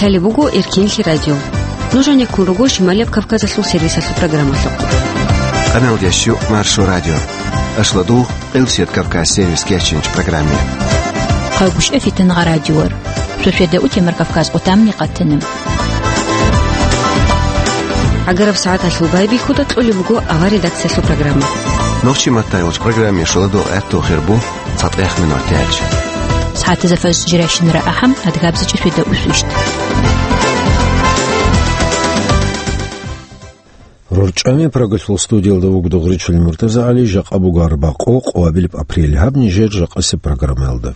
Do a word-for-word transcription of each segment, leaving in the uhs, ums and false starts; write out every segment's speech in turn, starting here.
Лъалеб буго Эркенлъи радио. Нуж гьанеккун руго Шималияб Кавказалъул сервисалъул программалъухъ. Къаналдящу Маршо радио. Ашладу Къилсият Кавказ сервис кечинч программе. Хъагушев Фитнагъа радиор. Суседа Утемар Кавказ отамни къатана. ГӀагараб сагӀаталъул байбихьуда кьолеб буго авар редакциялъул программа. Нохчи маттайолч программе шоладул гӀатту хирбу цатӀех минут тяч. СагӀатазда фаз жиращинара ахӀам адгабзичӀи суседа усвищт. РорчӀами Прагалъул студиялда вугода Гъуричил МуртазагӀали, жакъа буго арбакъо, къоабилеб апрель. Гьаб нижер жакъасеб программаялда.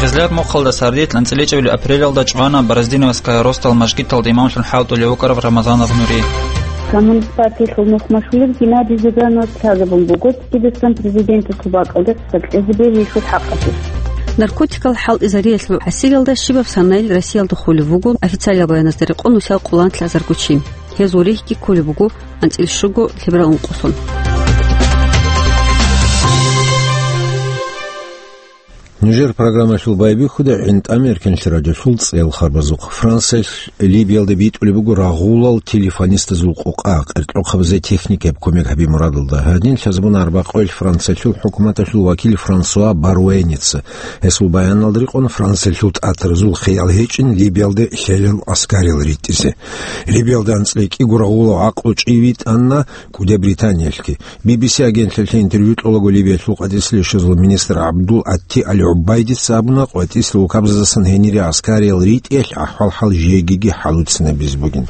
Гъизлияб мухъалда сардилъ анцӀила чӀебилеб апрелалда чӀвана Бороздиновская росдал мажгиталда имамлъун хӀалтӀулев вукӀарав Рамазанов Нури. Коммунист партиялъул нухмашулев Геннадий Зюгановас лъазабун буго Дагъистан президенталъул бакӀалде хъсакьлъизе бегьулъул хӀакъалъулъ. Наркотикал хӀалтӀизариялъул хӀасилалда щибаб санаил Россиялда хулев вуго, официалиял баяназда рекъон нусал къоло анлъазарго чи. Гьезул рихьги кколеб буго анцӀила щуго лъеберал ункъоялдалъун. Нужер программалъул байбихьуда ГӀинтӀам Эркенлъи радиолъул цӀел харбазухъ. Франциялъ Либиялда битӀулеб буго рагъулал телефонистазул къокъа, къеркьохъабазе техникаяб кумек гьаби мурадалда. Гьадин лъазабуна арбакъоялъ Франциялъул хӀукуматалъул вакил Франсуа Баруэница. Гьесул баяналда рекъон Франциялъул тӀатаразул хиял гьечӀин Либиялде лъелел аскариял ритӀизе. Либиялда анцӀила кӀиго рагъулав гӀакълу чӀи витӀана КӀуди Британиялъги. Би Би Си агентлъиялъе интервью кьолаго Либиялъул къватӀислъи яшазул министр ГӀабдул Атти Ал-ГӀубайдица абуна, къватӀислъи вукабаздасан гьенире аскариял ритӀиялъ ахӀвал-хӀал жегиги хӀалуцинабизе бугин.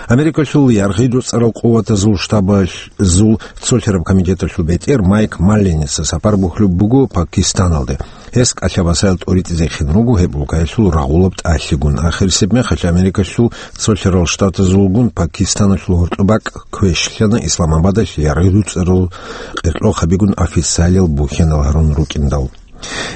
Америкалъул яргъи дуцӀарал къуватазул штабазул цолъараб комитеталъул бетӀер Майк Малленица сапар бухьулеб буго Пакистаналде. Гьес кӀалъа-басаял тӀоритӀизехъин руго гьеб улкаялъул рагъулаб тӀалъигун. Ахирисеб мехалъ Америкалъул цолъарал штатазулгун Пакистаналъул гьоркьоб бакӀ квешлъана Исламабадалъ яргъи дуцӀарал къеркьохъабигун официалиял бухьанал гьарун рукӀиндал.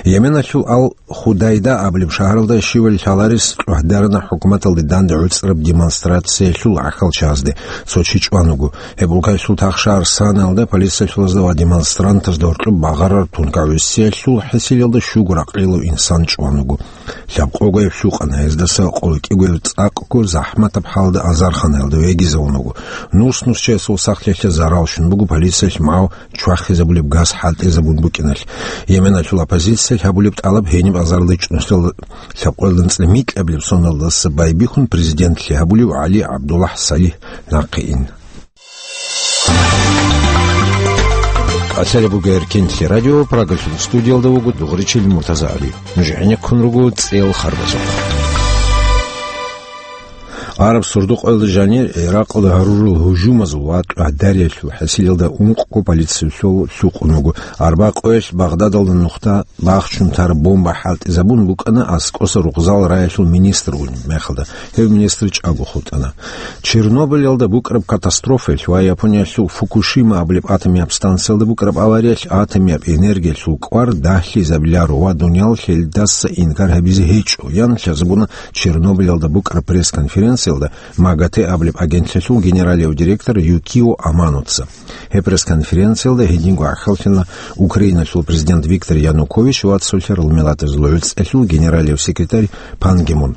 Йеменалъул Ал-Худайда абулеб шагьаралда щивали лъаларес чӀухӀдарана хӀукуматалде данде гӀуцӀараб демонстрациялъул гӀахьалчагӀазде. Цо чи чӀван вуго. Гьеб улкаялъул тахшагьар Санаялда полициялъулазда ва демонстрантазда гьоркьоб багъарараб тункагӀусиялъул хӀисиналда щуго ракълилав инсан чӀван вуго. Лъабкъогояб лъукъана, гьездаса къоло кӀигояб цӀакъго захӀматаб хӀалда азарханаялда вегизавун вуго. Нус-нус чиясул сахлъиялъе зарал щун буго, полициялъ магӀу чвахизабулеб газ хӀалтӀизабун букӀиналъ. Йеменалъул оппозициялъ гьабулеб тӀалаб гьениб азарилда чӀунусиялда лъабкъоялда анцӀила микьабилеб соналдаса байбихьун президентлъи гьабулев ГӀали ГӀабдуллагь Салигь нахъе ин. Къасалеб буго Эркенлъи радио, Прагалъул студиялда вуго Дугъричил МуртазагӀали. Нуж гӀенеккун руго цӀел харбазухъ. Араб сордо-къоялда жанир Иракъалда гьарурал гьужумазул ва чӀухӀдариялъул хӀасилалда ункъго полициялъул лъукъун вуго. Арбакъоялъ Багъдадалда нухда бахчун тараб бомба хӀалтӀизабун букӀана аскӀоса рукъзал раялъул министр унеб мехалда. Гьев министр чӀаго хутӀана. Чернобыльалда букӀараб катастрофаялъ ва Япониялъул Фукушима абулеб атомияб станциялда букӀараб авариялъ атомияб энергиялъул кӀвар дагьлъизабиларо ва дуниял гьелдаса инкар гьабизе гьечӀо, ян лъазабуна Чернобыльалда букӀараб пресс-конференциялда МАГАТЭ абулеб агентлъиялъул генералияв директор Юкио Аманоца. Гьеб пресс-конференциялда гьединго ахӀаллъана Украиналъул президент Виктор Янукович ва цолъарал миллатазул гӀуцӀиялъул генералияв секретарь Пан Ги Мун.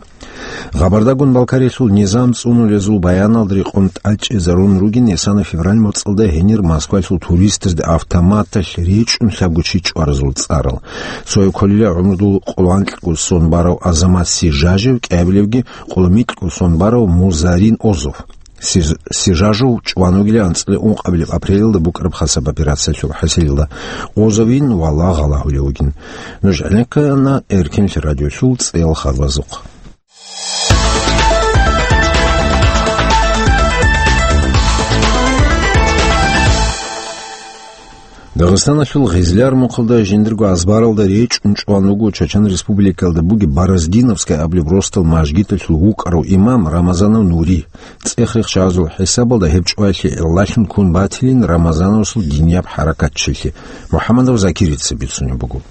Гъабардагун Балкариялъул низам цӀунулезул баяналда рекъон тӀадчӀезарун ругин, исана февраль моцӀалда гьенир Москваялъул туристазда автоматалъ речӀчӀун лъабго чи чӀваразул цӀарал. Цояв кколила гӀумрудул къоло анкьго сон барав Азамат Сижажев, кӀиабилевги къоло микьго сон барав Музарин Озов. Сиж-, Сижажев чӀван вугила анцӀила ункъабилеб апрелалда букӀараб хасаб операциялъул хӀасилалда. Озовин валагьал гьавулев вугин. Нуж гӀенеккана Эркенлъи радиолъул цӀел харбазухъ. Дагъистаналъул Гъизлияр мухъалда жиндирго азбаралда речӀчӀун чӀван вуго Чечен Республикалда бугеб Бороздиновская абулеб росдал мажгиталъул вукӀарав имам Рамазанов Нури. ЦӀех-рехчагӀазул хӀисабалда гьеб чӀваялъе гӀиллалъун ккун батилин Рамазановасул динияб хӀаракатчилъи. МухӀамадов Закирица бицунеб буго.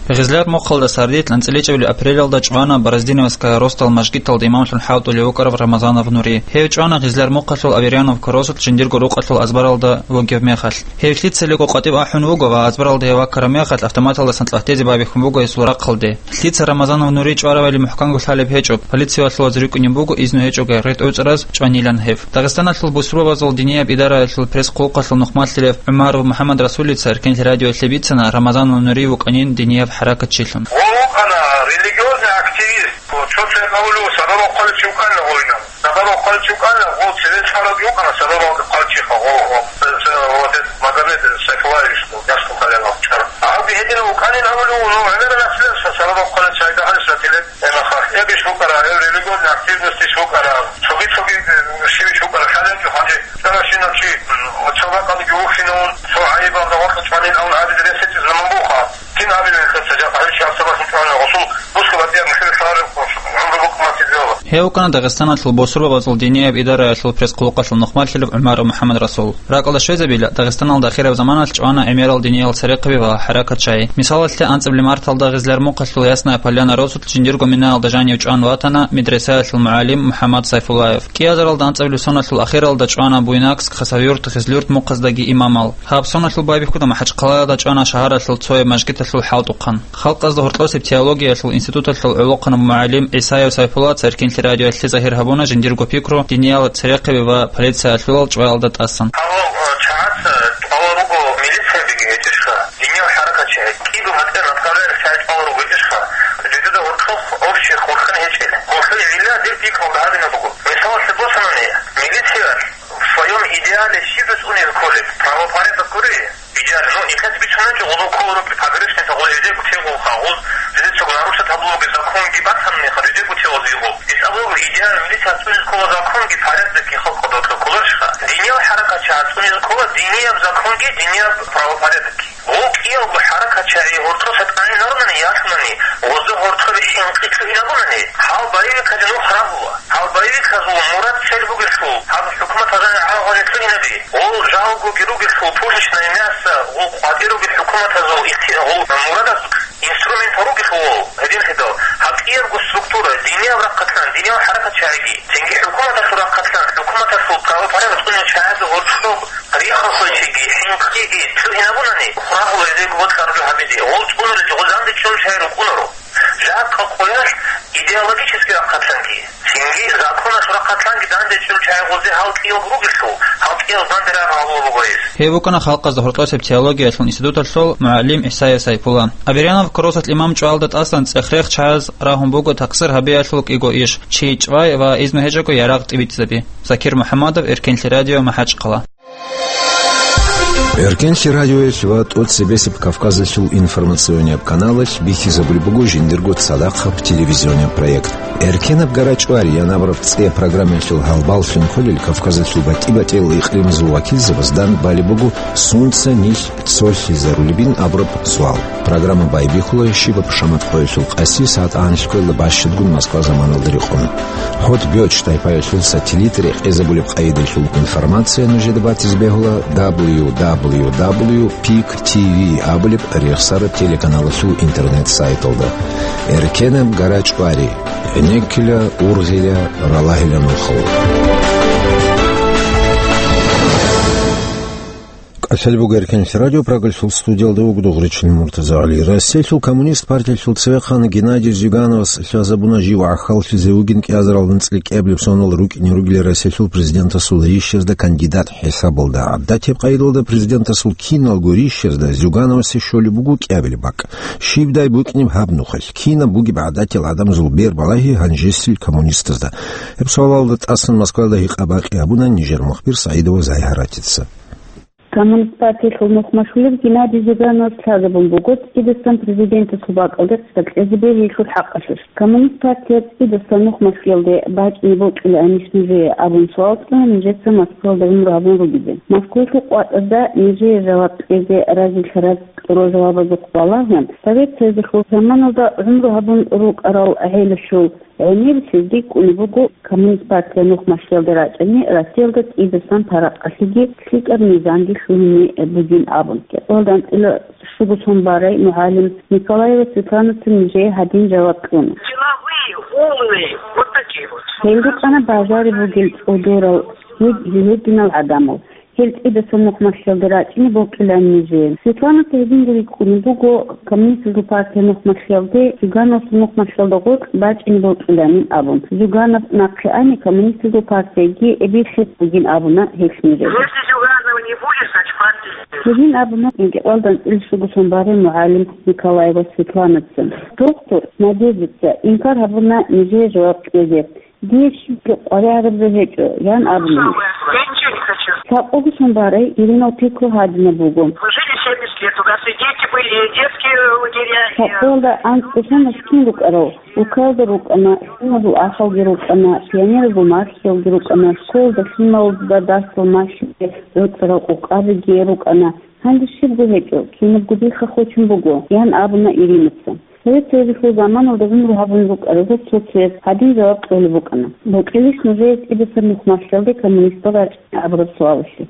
Гъизлар мухъалда сардилъ анцӀила чӀебали апрелалда чӀвана Бороздиновская росдал мажгиталда имамлъун хӀалтӀулев вукӀарав Рамазанов Нури. Гьев чӀвана Гъизлар мухъалъул Аверьяновка росулъ жиндирго рукъалъул азбаралда вугев мехалъ. Гьев лъицалеко къватӀиб ахӀун вуго ва азбаралда гьев ваккараб мехалъ автоматалдасан цӀалътезе байбихьун буго гьесул рахъалде. Лъица Рамазанов Нури чӀварабали мухӀканго лъалеб гьечӀо, полициялъулаз рикӀкӀунеб буго изну гьечӀого гъетӀ-гӀуцӀраз чӀванилан гьев. Дагъистаналъул бусурбабазул динияб идараялъул пресс-хъулухъалъул нухмалъилев ГӀумаров МухӀаммад Расулица Эркенлъи радиоялъе бицана Рамазанов Нури вукӀанин динияб хӀаракатчилъун. Гъов вукӀана религиозный активист, гъов цо-цо гьавулев сабаб хъвалев чи вукӀана гъовинав. Сабаб хъвалев чи вукӀана, гъов цеве лъалев вукӀана сабабалда хъвалев чиха, гъов, гъов, ц-, ц-, вот этот Магомед Сайфуллаевич, гъов, ясгу хъалев вахчар. Гьавги гьединав вукӀанин гьавулев, ну, гӀемерал наследство сабаб хъвалев чайда гьалис ратилеб. Гьеб мехалъ, гьеб иш букӀара, гьеб религиозный активность иш букӀара, цоги-цоги, э, щивиш букӀара, хӀаланчӀо гьанже, чӀаращинав чи, м, цо бакӀалдаги вухьинавун, цо гӀайибалда гъоркье чӀванин авун гьабизе рес гьечӀеб заман буха. Кин гьабилел хирца жакъа гьев чи гьабсагӀат бахъун чӀванин, гъосул бусурбабазул динияб идараялъул пресс-хъулухъалъул нухмалъилев ГӀумаров МухӀаммад Расул. Ракъалда щвезабила, Дагъистаналда ахираб заманалъ чӀвана гӀемерал диниял церехъаби ва хӀаракатчагӀи. Мисалалъе, анцӀабилеб марталда Гъизлар мухъалъул Ясная Поляна росулъ жиндирго минаялда жанив чӀван ватана медресаялъул мугӀалим МухӀаммад Сайфуллаев. КӀиазаралда анцӀабилеб соналъул ахиралда чӀвана Буйнакск, Хасавюрт, Гъизлюрт мухъаздаги имамал. Гьаб соналъул байбихьуда МахӀачхъалаялда чӀвана шагьаралъул цояб мажгиталъул хӀалтӀухъан. Халкъазда гьоркьосеб теологиялъул институталъул гӀолохъанаб мугӀалим ГӀисаев Сайфулла Церкинлъи радиоялъе загьир гьабуна жиндирго пикру диниялда церехъаби ва полициялъулал чӀваялда тӀасан. Гьав, э, чагӀаца тӀвала руго милициябиги гьечӀищха, диниял хӀаракатчагӀи, кӀиго батӀа направлениялъ чагӀи тӀвала руго гьечӀищха, жидеда гьоркьох общий хурхун гьечӀел. Гьелъул гӀилла дир пикру гьабина буго. Мисалалъе босанани, милициялъ в своём идеале щиб цӀунизе кколеб? Правопорядок гури? Идеале, ну, нилъеца бицунанчӀо гъозул кколаро погрешность, гъоз жидерго тевгъулха, гъоз жидецаго нарушать гьабулеб законги батани, жидерго тевгъузе гъоб. Исабулго идеал милиция цӀунизе ккола законги порядокги халкъалда кколарищха? Диниял хӀаракатчагӀи цӀунизе ккола динияб законги, динияб правопорядокги. Гъов кӀиялго хӀаракатчагӀи гьоркьоса тӀаминабунани, ялъунани, гъозда гьоркьоби хӀинкъи лъугьинабунани, гьал боевиказе нух рагьула. Гьал боевиказул мурад-цель бугелъул, гьаб хӀукуматалда гӀагъазе лъугьинаби, гъол жалгоги ругелъул, пушечное мясо, гъол къватӀир ругел хӀукуматазул ихти-, гъол мурадаз инструментал ругелъул гъол, гьединлъидал, гьаб кӀиябго структура, динияб рахъалъан, динияб хӀаракатчагӀиги, цинги хӀукуматалъул рахъалъан, хӀукуматалъул правопорядок цӀунел чагӀазда гьоркьоб риххалъулчиги, хӀинкъиги лъугьинабунани, хурагьула гьезего бокьараб гьабизе, гъол цӀунарилъ гъозанде чӀун шай рукӀунаро. Жакъа къоялъ идеологический рахъалъанги, цинги законалъул рахъалъанги данде чӀул чагӀи гъозе гьал кӀиялго ругелъул, гьал кӀиял данде рагъ гьабула буго гьез. Гьев вукӀана Халкъазда гьоркьосеб теологиялъул институталъул мугӀалим ГӀисая Сайпула. Аверьяновка росулъ имам чӀвалда тӀасан цӀех-рех чагӀаз рагьун буго такъсир гьабиялъул кӀиго иш: чи чӀвай ва изну гьечӀого ярагъ тӀибитӀизаби. Закир МухӀаммадов, Эркенлъи радио, МахӀачхъала. Эркенлъи радиоялъ ва тӀоцебесеб Кавказалъул информационияб каналалъ бихьизабулеб буго жиндирго цадахъаб телевизионияб проект. Эркенаб гарачӀвари я абураб цӀияб программаялъул гьалбаллъун кколел Кавказалъул батӀи-батӀиял икълимазул вакилзабаз данде балеб буго сунца нилъ цолъизарулебин абураб суал. Программа байбихьула щибаб шамат къоялъул къаси сагӀат анлъго ккоялда бащадгун Москва заманалда рекъон. ХӀотӀ Бёч тайпаялъул сателлит рекъезабулеб къайдалъул информация нужеда батизе бегьула дабл ю дабл ю дабл ю пик ти ви абулеб рехсараб телеканалалъул интернет-сайталда. Эркенаб гарачӀвари, гӀенеккила, ургъила, ралагьила нухал. КӀалъалеб буго Эркенлъи радио, Прагалъул студиялда вуго Дугъричин МуртазагӀали. Россиялъул коммунист партиялъул цевехъан Геннадий Зюгановас лъазабуна жив гӀахьаллъизе вугин кӀиазаралда анцӀила кӀиабилеб сонал рукӀине ругел Россиялъул президентасул рищазда кандидат хӀисабалда. ГӀадатияб къайдалда президентасул киналго рищазда Зюгановасе щолеб буго кӀиабилеб бакӀ. Щибдай букӀинеб гьаб нухалъ? Кинаб бугеб гӀадатиял гӀадамазул бер балагьи гьанжесил коммунистазда? Гьеб суалалда тӀасан Москваялда гьикъа-бакъи гьабуна нижер мухбир СагӀидова Зайгьаратица. Коммунист партиялъул нухмашлъулев Геннадий Зюгановас лъазабун буго цӀидасан президентасул бакӀалде хъизан кьезе бегьиялъул хӀакъалъулъ. Коммунист партия цӀидасан нухмашлъиялде бачӀине бокьилаанищ нужее абун суал кьуна нижеца Москваялда гӀумру гьабун ругезе. Москвалъул къватӀазда нижее жаваб кьезе разилъараб Гьеб жавабазухъ балагьун, Совет Союзалъул заманалда гӀумру гьабун рукӀарал гӀелалъул гӀемер цинги кӀунеб буго Коммунист партия нухмалъиялда рачӀине Россиялда тӀидасан паракъалъеги лъикӀаб низамги лъугьине бугин абун. Кьолда анцӀила щуго сон барай мугӀалим Николаева Светланацин нижее гьадин жаваб кьуна. Деловые, умные, вот такие вот. Гьел рукӀана бажариб бугел цӀодорал, гьед-, гьединал гӀадамал. Гьел тӀидасан нухмалъиялда рачӀине бокьилан нижее. Светланаца гьединго рикӀкӀунеб буго, Коммунистазул партия нухмалъиялде, Зюгановасул нухмалъиялда гъоркь бачӀине бокьиланин абун. Зюганов нахъе ани, Коммунистазул партияги эбеллъи бугин абуна гьелъ нижее. Если Зюганова не будет, значит, партия. Гьедин абуна инкьикьалда анцӀила щуго сон барай мугӀалим Николаева Светланаца. Доктор Надеждаца инкар гьабуна нижее жаваб кьезе. Дие щибги къваригӀараб жо гьечӀо, ян абуна. Я ничего не хочу. Лъабкъого сон барай Иринал пикру гьадинаб буго. Вы жили семьдесят лет, у нас и дети были, и детские лагеря, и... Лъабкъоялда анцӀго сон кин рукӀарал? Улкаялда рукӀана, лъималазул ахалги рукӀана, пионеразул мархиялги рукӀана, школалда лъималазда дарсал малъизе гӀуцӀарал къокъабиги рукӀана. Гьанже щибго гьечӀо, кинабго дихъа хочун буго, ян абуна Иринаца. Совет Союзалъул заманалда гӀумру гьабун рукӀарал цо-цояз гьадин жаваб кьолеб букӀана. Бокьилищ нужее тӀидасан нухмалъиялде коммунистал рачӀине абураб суалалъе?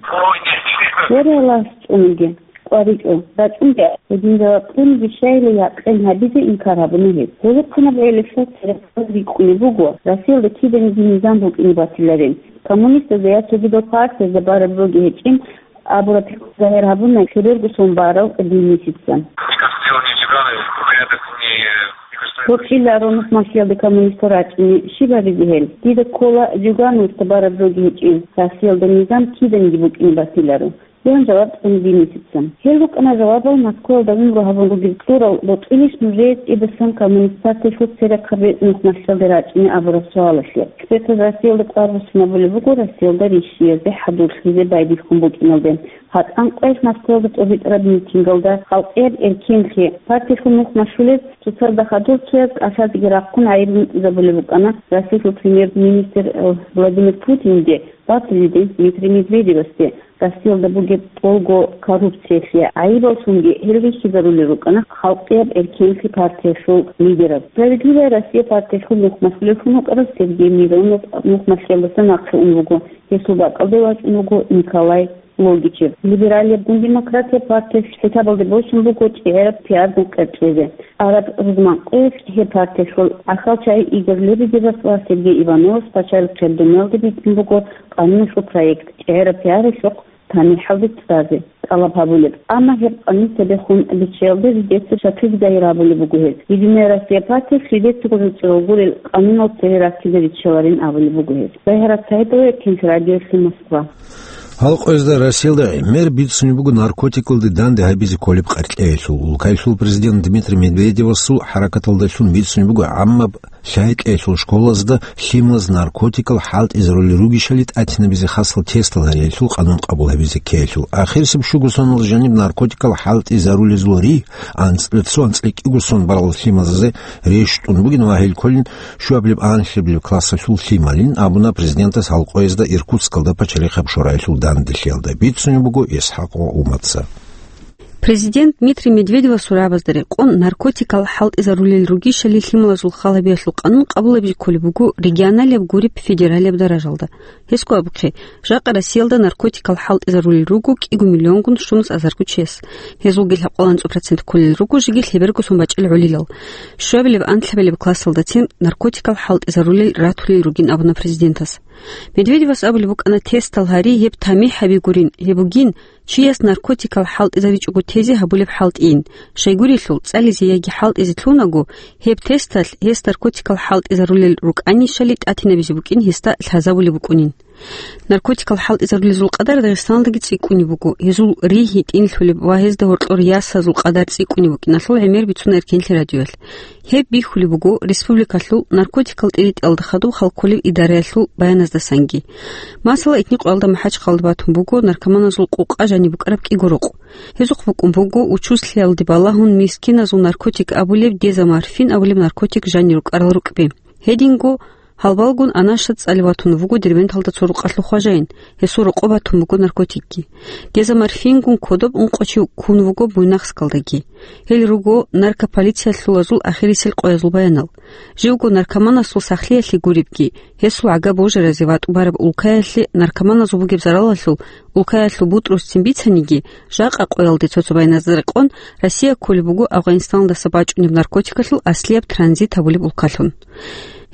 Варе Аллагьас чӀунги, къваригӀо, рачӀунги, гьедин жаваб кьуниги щайила якъин гьабизе инкар гьабуна гьез. Гьолохъанаб гӀелалъул церехъабаз рикӀкӀунеб буго, Россиялда киданиги низам букӀине батиларин. Коммунистазда я цогидал партиязда бараб жоги гьечӀин, абураб пикру загьир гьабуна лъеберго сон барав Денисица. Никак дело не в Зюганове, порядок не, не государственный. Гьоркьиларо нухмалъиялде коммунистал рачӀине, щиб гьабизе гьел? Дида ккола Зюгановасда бараб жоги гьечӀин, Россиялда низам киданиги букӀине батиларо, ян жаваб кьуна Денисица. Гьел рукӀана жавабал Москваялда гӀумру гьабун ругел кьурал, бокьилищ нужее тӀидасан коммунист партиялъул церехъаби нухмалъиялде рачӀине абураб суалалъе. Экспертаз Россиялда кӀвар буссинабулеб буго Россиялда рищиязде хӀадурлъизе байбихьун букӀиналде. ГьатӀан къоялъ Москваялда тӀобитӀараб митингалда халкъияб эркенлъи партиялъул нух машулез цоцазда хадур цояз кӀалъазеги рахъун гӀайиб гьунтӀизабулеб букӀана Россиялъул премьер-министр, э, Владимир Путинде ва президент Дмитрий Медведевасде. Россиялда бугеб тӀолго коррупциялъе гӀайибал цунги гьел рихьизарулел рукӀана халкъияб эркенлъи партиялъул лидераз. «Справедливая Россия» партиялъул нух машулевлъун вукӀарав Сергей Миронов нух машиялдаса нахъе ун вуго. Гьесул бакӀалде вачӀун вуго Николай Логичев. Либералияб гун «Демократия» партиялъ хӀисабалде босун буго чӀегӀераб пиаргун къерчӀезе. Араб рузман къоялъ гьеб партиялъул гӀахьалчагӀи Игорь Лебедевас ва Сергей Ивановас пачалихъияб дуниялде битӀун буго къануналъул проект, чӀегӀераб пиаралъухъ тамихӀалде цӀазе тӀалаб гьабулеб. Амма гьеб къанун цебехун биччаялде жидеца шаклъиги загьир гьабулеб буго гьез. «Единая Россия» партиялъ жидецаго жуцӀурал гурел къанунал цеве раккизе риччаларин абулеб буго гьез. Загьират СагӀидова, Кент радиолъи, Москва. Гьал къоязда Россиялда гӀемер бицунеб буго наркотикалде данде гьабизе кколеб къаркьеялъул. Улкаялъул президент Дмитрий Медведевасул хӀаракаталдалъун бицунеб буго гӀаммаб лъай-кьеялъул школазда лъималаз наркотикал хӀалтӀизарулел ругищали тӀатинабизе хасал тестал гьариялъул къанун къабул гьабизе ккеялъул. Ахирисеб щуго соналда жаниб наркотикал хӀалтӀизарулезул ригь анцӀ-, цо анцӀила кӀиго сон барал лъималазе рещтӀун бугин ва гьел кколин щуабилеб-анлъабилеб классалъул лъималин, абуна президентас гьал къоязда Иркутскалда пачалихъаб шораялъул данделъиялда. Бицунеб буго ИсхӀакъ Умаца. Президент Дмитрий Медведевасул рагӀабазда рекъон наркотикал хӀалтӀизарулел ругищали лъималазул хал гьабиялъул къанун къабулабизе кколеб буго регионалияб гуреб федералияб даражалда. Гьесго абухъе, жакъа Россиялда наркотикал хӀалтӀизарулел руго кӀиго миллионгун щунус азарго чияс. Гьезулги лъабкъоялда анцӀбалда процент кколел руго жеги лъеберго сон бачӀел гӀолилал. Щуабилеб-анлъабилеб классалдацин наркотикал хӀалтӀизарулел ратулел ругин абуна президентас. Медведевас абулеб букӀана, тестал гьари, гьеб тамихӀ гьаби гурин, гьеб бугин, чияс наркотикал хӀалтӀизаричӀого тезе гьабулеб хӀалтӀийин. Щайгурелъул, цӀализе яги хӀалтӀизе лъунаго, гьеб тесталъ гьес наркотикал хӀалтӀизарулел рукӀанищали тӀатинабизе букӀин гьесда лъазабулеб букӀунин. Наркотикал хӀалтӀизарулезул къадар Дагъистаналдаги цӀикӀкӀунеб буго, гьезул ригь гьитӀинлъулеб ва гьезда гьоркьор ясазул къадар цӀикӀкӀунеб букӀиналъул гӀемер бицуна Эркенлъи радиоялъ. Гьеб бихьулеб буго республикалъул наркотикал тӀиритӀиялда хадуб хал кколеб идараялъул баяназдасанги. Масала, итникъоялда МахӀачхъалда батун буго наркоманазул къукъа жаниб букӀараб кӀиго рукъ. Гьезухъ букӀун буго учузлъиялде балагьун мискиназул наркотик абулеб дезоморфин абулеб наркотик жанир рукӀарал рукӀби. Гьединго Гьалбалгун Анашат цӀалев ватун вуго Дербенталда цо рукъалъул хважаин, гьесул рокъоб батун буго наркотикги. Деза морфингун кодоб ункъо чи ккун вуго Буйнакскалдаги. Гьел руго наркополициялъулазул ахирисел къоязул баянал. Живго наркоманасул сахлъиялъе гуребги, гьесул гӀага божаразе ва тӀубараб улкаялъе наркоманазул бугеб заралалъул улкаялъул бутӀрузцин бицаниги, жакъа къоялде цо-цо баяназда рекъон, Россия кколеб буго Афгъанистандаса бачӀунеб наркотикалъул аслияб транзит гьабулеб улкалъун.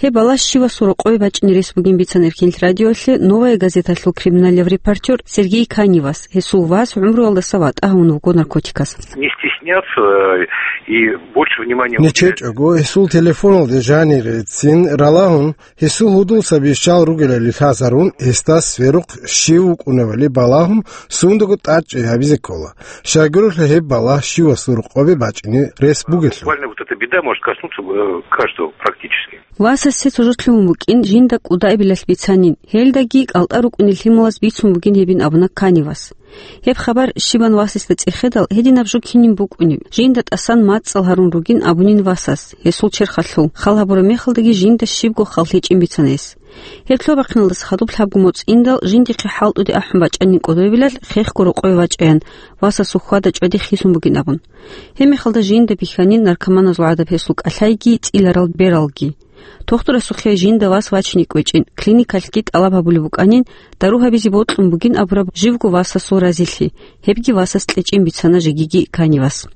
Гьеб балагь щивасул рокъове бачӀине рес бугин бицана Эркинлъи радиоялъе «Новая газеталъул» криминалияб репортер Сергей Каневас, гьесул вас гӀумруялдаса ватӀа гьавун вуго наркотикас. Не стесняться, э, и больше внимания уделять. НечечӀого гьесул телефоналде жанирецин ралагьун, гьесул гьудул саби щал ругелали лъазарун, гьесда сверухъ щив вукӀуневали балагьун, сундаго тӀадчӀей гьабизе ккола. Щайгурелъул гьеб балагь щивасул рокъове бачӀине рес бугелъул. Буквально вот эта беда может коснуться, э, каждого практически. Васасе цо жо лъугьун букӀин жинда кӀудаабилалъ бицанин, гьелдаги кӀалтӀа рукӀунел лъималаз бицун бугин гьебин абуна Каневас. Гьеб хабар щибан васасда цӀехедал, гьединаб жо кинин букӀунеб, жинда тӀасан мацӀал гьарун ругин абунин васас, гьесул черхалъул, хал гьабураб мехалдаги жинда щибго хал гьечӀин бицана гьес. Гьеб лъобахъиналдаса хадуб лъабго моцӀ индал, жиндихъе хӀалтӀуде ахӀун бачӀанин кӀодобилалъ, хехго рокъове вачӀаян, васасул хьвада-чӀвади хисун бугин абун. Гьеб мехалда жинда бихьанин наркоманазул гӀадаб гьесул кӀалъайги, цӀиларал бералги. Тухтурасухъе жинда вас вачине кӀвечӀин, клиникалъги тӀалаб гьабулеб букӀанин, дару гьабизе бокьун бугин абураб живго васасул разилъи, гьебги васас кьечӀин бицана жегиги Каневас.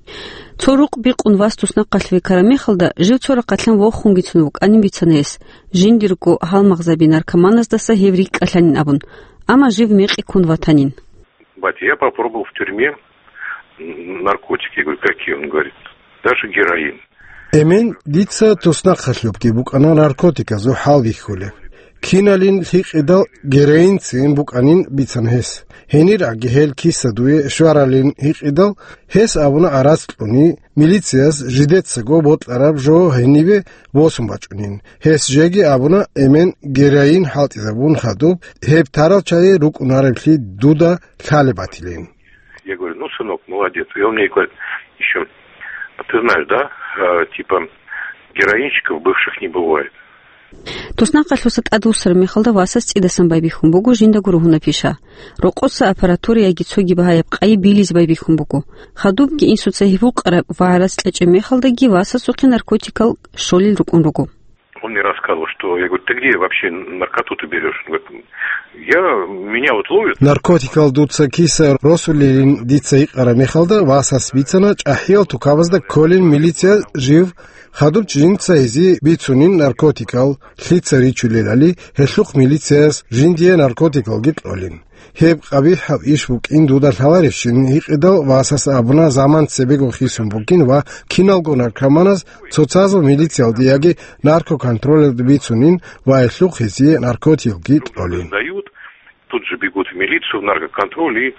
Цо рукъ бикъун вас туснахъалъуве ккараб мехалда, жив цо рахъалъан вохунгицун вукӀанин бицана гьес, жиндирго гьалмагъзаби наркоманаздаса гьев рикӀкӀалъанин абун, амма жив мекъи ккун ватанин. Батя, я попробовал в тюрьме, м, наркотики. Я говорю: «Какие?» Он говорит: «Даже героин». Эмен, дица туснахъалъубги букӀана наркотиказул хӀал бихьулеб. Киналин гьикъидал героинцин букӀанин бицана гьес. Гьенир аги гьел киса дуе щваралин гьикъидал, гьес абуна арацӀ кьуни, милицияс жидецаго бокьараб жо гьениве босун бачӀунин. Гьес жеги абуна, эмен героин хӀалтӀизабун хадуб, гьеб тарал чагӀи рукӀунареблъи дуда лъалеб батилин. Я говорю: «Ну, сынок, молодец». И он мне говорит ещё: «А ты знаешь, да, э, типа, героинщиков бывших не бывает». Туснахъалъуса тӀадвуссараб мехалда васас цӀидасан байбихьун буго жиндаго ругьунаб пиша. Рокъоса аппаратура яги цоги багьаяб къайи билизе байбихьун буго. Хадубги инсуца гьеб гьукъараб ва гӀарац кьечӀеб мехалдаги васасухъе наркотикал щолел рукӀун руго. Он мне рассказывал, что, я говорю: «Ты где вообще наркоту-то берёшь?» Он говорит: «Я, меня вот ловят». Наркотикал дуца киса росулелин дица гьикъараб мехалда, васас бицана, чӀахӀиял тукабазда кколин милиция жив, хадуб жинца гьезие бицунин наркотикал лъица ричулелали, гьелъухъ милицияс жиндие наркотикалги кьолин. Гьеб къабихӀаб иш букӀин дуда лъаларищин гьикъидал, васас абуна, заман цебего хисун бугин ва киналго наркоманаз цоцазул милициялде яги наркоконтролалде бицунин ва гьелъухъ гьезие наркотикалги кьолин. Сдают, тут же бегут в милицию, в наркоконтроль и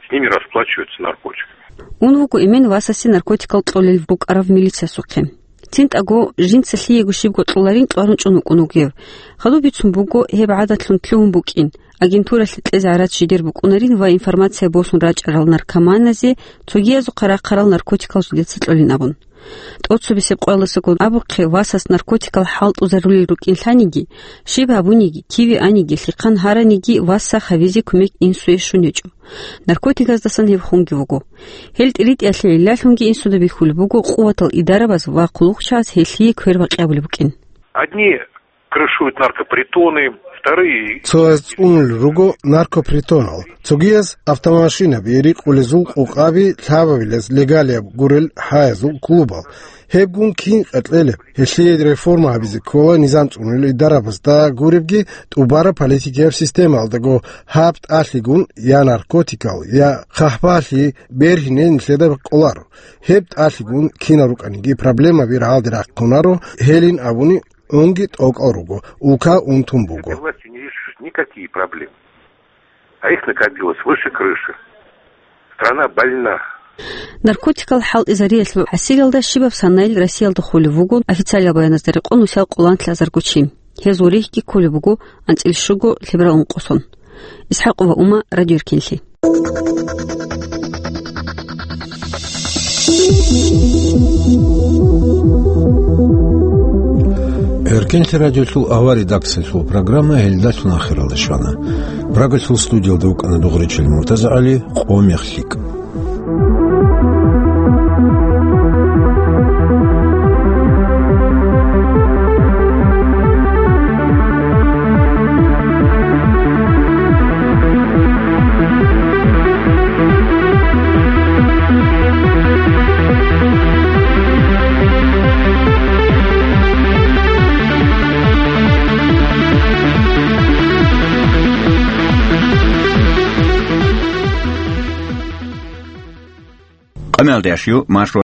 с ними расплачиваются наркотиками. Ун вуго эмен васасе наркотикал кьолел рукӀарав милициясухъе. ЦинтӀаго жинца лъиего щибго кьоларин кьварун чӀун вукӀун вугев. Хадуб бицун буго гьеб гӀадатлъун лъугьун букӀин, агентуралъе кьезе гӀарац жидер букӀунарин ва информация босун рачӀарал наркоманазе цогиязухъа рахъарал наркотикал жидеца кьолин абун. ТӀоцебесеб къоялдасаго абухъе, васас наркотикал хӀалтӀузарулел рукӀин лъаниги, щиб гьабуниги, киве аниги, лъихъан гьараниги, васас гьавизе кумек инсуе щун гьечӀо. Наркотиказдасан гьеб хунги вуго. Гьел тӀиритӀиялъе гӀиллалъунги инсуда бихьулеб буго къуватал идарабаз ва хъулухъчагӀаз гьелъие квербакъи гьабулеб букӀин. Одни крышуют наркопритоны, вторые... Цояз цӀунулел руго наркопритонал, цогияз автомашинаби, рикъулезул къокъаби лъабабилез легалияб гурел гьаязул клубал. Гьебгун кин къеркьелеб? Гьелъие реформа гьабизе ккола низам цӀунулел идарабазда гуребги, тӀубараб политикияб системалдаго. Гьаб тӀалъигун я наркотикал, я хъахӀбалъи бергьине нилъеда къоларо. Гьеб тӀалъигун кинал рукӀаниги проблемаби рагӀалде рахъунаро, гьелин абуни унги тӀокӀал руго, улка унтун буго. Этой властью не решишь никакие проблемы. А их накопилось выше крыши. Страна больна. Наркотикал хӀалтӀизариялъул гӀасириялда щибаб санайил Россиялда хулеб буго официалиял баяназда рекъон нусал къоло анлъазарго чи. Гьез гъурихьги кколеб буго анцӀил щуго лъеберал ункъо сон. ИсхӀакъова Ума, Радио Эркинлъи. Кенлъи радиолъул авар редакциялъул программа гьелдалъун ахиралде щвана. Прагалъул студиялда вукӀана Дугъричил МуртазагӀали, къо мех лъикӀ. Къамелдеш ю маршрут